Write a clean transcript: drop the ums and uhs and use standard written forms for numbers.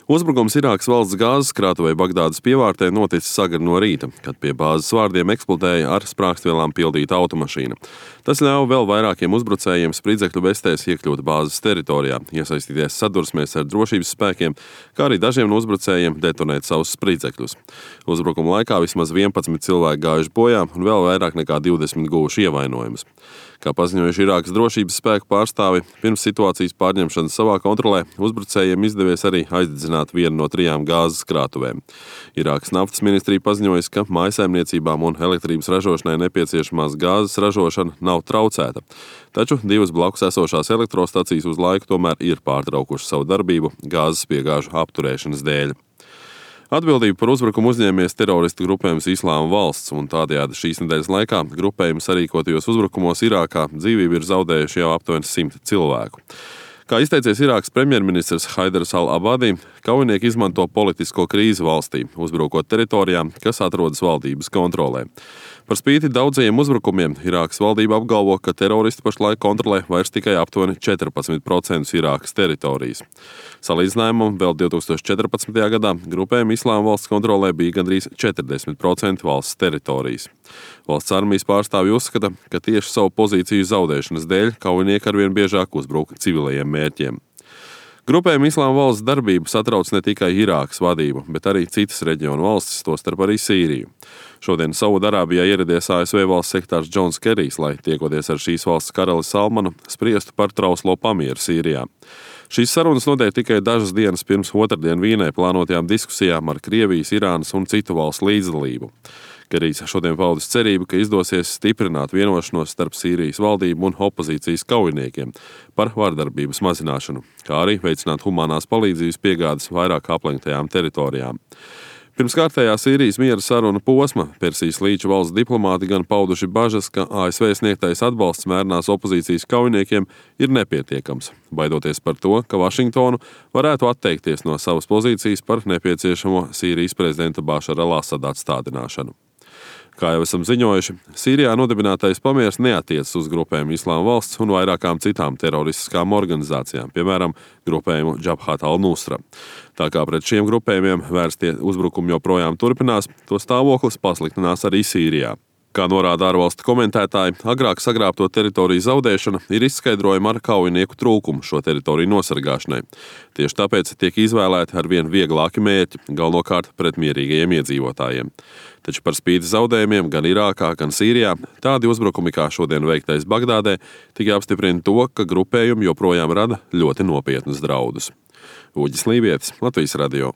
Uzbrukums Irākas valsts gāzes krātuvei Bagdādas pievārtē noticis agri no rīta, kad pie bāzes vārdiem eksplodēja ar sprāgstvielām pildīta automašīna. Tas ļāva vēl vairākiem uzbrucējiem spridzekļu vestēs iekļūt bāzes teritorijā, iesaistīties sadursmēs ar drošības spēkiem, kā arī dažiem no uzbrucējiem detonēt savus spridzekļus. Uzbrukuma laikā vismaz 11 cilvēki gājuši bojā un vēl vairāk nekā 20 guvuši ievainojumus. Kā paziņojuši Irākas drošības spēku pārstāvi, pirms situācijas pārņemšanas savā kontrolē uzbrucējiem izdevies arī aizdedzināt vienu no 3 gāzes krātuvēm. Irākas naftas ministrija paziņojusi, ka mājsaimniecībām un elektrības ražošanai nepieciešamās gāzes ražošana nav traucēta, taču 2 blakus esošās elektrostacijas uz laiku tomēr ir pārtraukušas savu darbību gāzes piegāžu apturēšanas dēļ. Atbildību par uzbrukumu uzņēmies teroristu grupējums Islāma valsts, un tādējādi šīs nedēļas laikā grupējums sarīkotajos uzbrukumos Irākā dzīvību ir zaudējuši jau aptuveni 100 cilvēku. Kā izteicies Irākas premjerministrs Haidars al-Abadi, kaujinieki izmanto politisko krīzi valstī, uzbrukot teritorijām, kas atrodas valdības kontrolē. Par spīti daudzajiem uzbrukumiem Irākas valdība apgalvo, ka teroristi pašlaik kontrolē vairs tikai aptuveni 14% Irākas teritorijas. Salīdzinājumam vēl 2014. gadā grupējuma Islāma valsts kontrolē bija gandrīz 40% valsts teritorijas. Valsts armijas pārstāvji uzskata, ka tieši savu pozīciju zaudēšanas dēļ kaujinieki arvien biežāk uzbruk civilajiem mērķiem. Grupējuma Islāma valsts darbību satrauc ne tikai Irākas vadību, bet arī citas reģionu valstis, tostarp arī Sīriju. Šodien Saūdarābijā ieradies ASV valsts sekretārs Džons Kerijs, lai tiekoties ar šīs valsts karali Salmanu, spriestu par trauslo pamieru Sīrijā. Šīs sarunas notiek tikai dažas dienas pirms otrdien Vīnē plānotajām diskusijām ar Krievijas, Irānas un citu valstu līdzdalību. Kerijs šodien paudis cerību, ka izdosies stiprināt vienošanos starp Sīrijas valdību un opozīcijas kaujiniekiem par vardarbības mazināšanu, kā arī veicināt humanās palīdzības piegādes vairāk aplenktajām teritorijām. Pirms kārtējā Sīrijas miera saruna posma Persijas līča valsts diplomāti gan pauduši bažas, ka ASV sniegtais atbalsts mērnās opozīcijas kaujiniekiem ir nepietiekams, baidoties par to, ka Vašingtonu varētu atteikties no savas pozīcijas par nepieciešamo Sīrijas prezidenta Bašara al-Asada atstādināšanu. Kā jau esam ziņojuši, Sīrijā nodibinātais pamiers neatiecas uz grupējumu Islāma valsts un vairākām citām teroristiskām organizācijām, piemēram, grupējumu Džabhat al-Nusra. Tā kā pret šiem grupējumiem vērstie uzbrukumi joprojām turpinās, to stāvoklis pasliktinās arī Sīrijā. Kā norāda ārvalstu komentētāji, agrāk sagrābto teritoriju zaudēšana ir izskaidrojama ar kaujinieku trūkumu šo teritoriju nosargāšanai. Tieši tāpēc tiek izvēlēti arvien vieglāki mērķi, galvenokārt pret mierīgajiem iedzīvotājiem. Taču par spīti zaudējumiem gan Irākā, gan Sīrijā tādi uzbrukumi kā šodien veiktais Bagdādē tikai apstiprina to, ka grupējumi joprojām rada ļoti nopietnus draudus. Uģis Lībietis, Latvijas radio.